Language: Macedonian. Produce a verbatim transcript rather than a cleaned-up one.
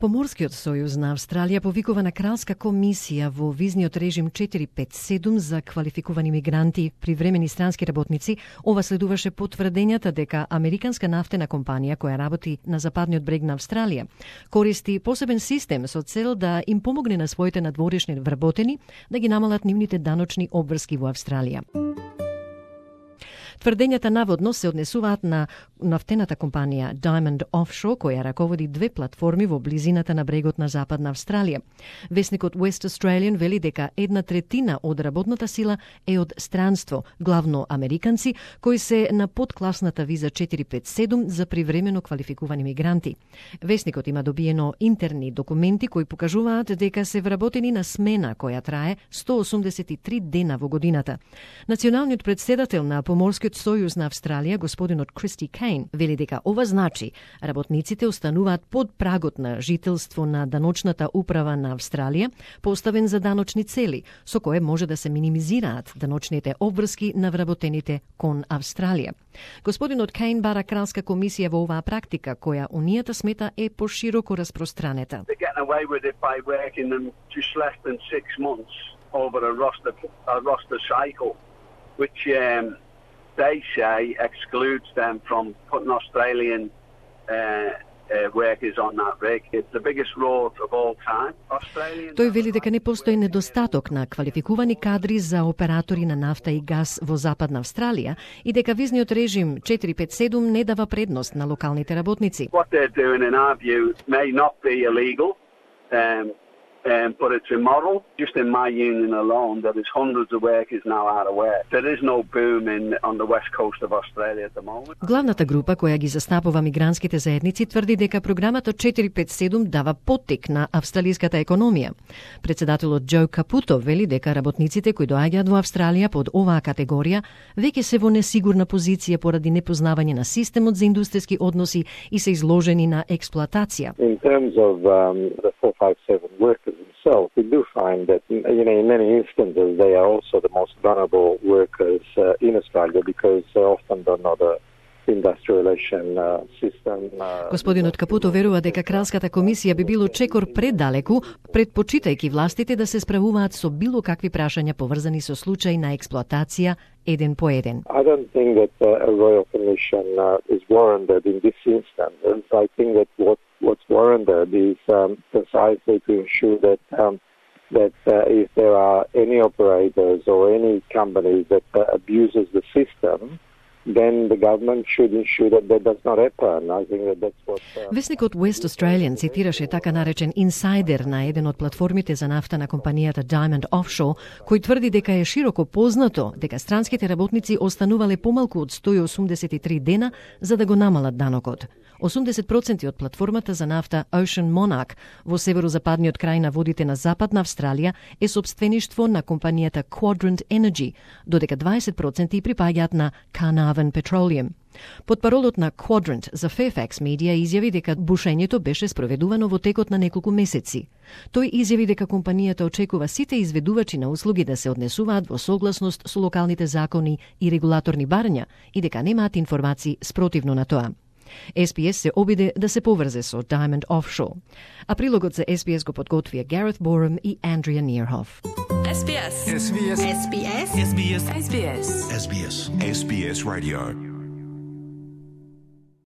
Поморскиот сојуз на Австралија повикува на кралска комисија во визниот режим четири пет седум за квалификувани мигранти, привремени странски работници. Ова следуваше потврдењата дека американска нафтена компанија која работи на западниот брег на Австралија користи посебен систем со цел да им помогне на своите надворешни вработени да ги намалат нивните даночни обврски во Австралија. Тврдењата наводно се однесуваат на нафтената компанија Diamond Offshore, која раководи две платформи во близината на брегот на Западна Австралија. Весникот West Australian вели дека една третина од работната сила е од странство, главно американци, кои се на подкласната виза четири пет седум за привремено квалификувани мигранти. Весникот има добиено интерни документи кои покажуваат дека се вработени на смена која трае сто осумдесет и три дена во годината. Националниот претседател на Поморскиот сојуз на Австралија, господинот Кристи Кейн, вели дека ова значи работниците остануваат под прагот на жителство на даночната управа на Австралија, поставен за даночни цели, со кое може да се минимизираат даночните обврски на вработените кон Австралија. Господинот Кейн бара кралска комисија во оваа практика, која Унијата смета е пошироко распространета. Which um, they say excludes them from putting Australian uh, uh, workers on that rig. It's the biggest rot of all time. Australian... Тој вели дека не постои недостаток на квалификувани кадри за оператори на нафта и газ во Западна Австралија и дека визниот режим четири пет седум не дава предност на локалните работници. What they're doing in our view may not be illegal. Um, Um, but it's immoral. Just in my union alone, there is hundreds of workers now out of work. There is no boom in, on the west coast of Australia at the moment. Главната група која ги застапува мигрантските заедници тврди дека програмата четири пет седум дава поттик на австралиската економија. Председателот Джо Капуто вели дека работниците кои доаѓаат во Австралија под оваа категорија веќе се во несигурна позиција поради непознавање на системот за индустријски односи и се изложени на експлоатација. In terms of um, the four five seven workers themselves, we do find that, you know, in many instances they are also the most vulnerable workers uh, in Australia because they often don't know the industrialization uh, system. Uh, Господинот Капуто верува дека кралската комисија би било чекор предалеку, предпочитајќи властите да се справуваат со било какви прашања поврзани со случаи на експлоатација еден по еден. I don't think that uh, a royal commission uh, is warranted in this instance. I think that what what's warranted is um, precisely to ensure that um, that uh, if there are any operators or any companies that uh, abuses the system, then the government should ensure that that does not happen. I think that that's what... Uh... Весникот West Australian цитираше така наречен инсайдер на еден од платформите за нафта на компанијата Diamond Offshore, кој тврди дека е широко познато дека странските работници останувале помалку од сто и осумдесет и три дена за да го намалат данокот. осумдесет проценти од платформата за нафта Ocean Monarch во северозападниот крај на водите на Западна Австралија е сопствеништво на компанијата Quadrant Energy, додека дваесет проценти припаѓаат на Carnarvon Petroleum. Потпаролот на Quadrant за Fairfax Media изјави дека бушењето беше спроведувано во текот на неколку месеци. Тој изјави дека компанијата очекува сите изведувачи на услуги да се однесуваат во согласност со локалните закони и регулаторни барања и дека немаат информации спротивно на тоа. Ес Би Ес се обиде да се поврзе со Diamond Offshore. А прилогот за Ес Би Ес го подготвија Гарет Борем и Андрија Нирхоф. Ес Би Ес. Ес Би Ес. Ес Би Ес. Ес Би Ес. Ес Би Ес. Ес Би Ес Radio.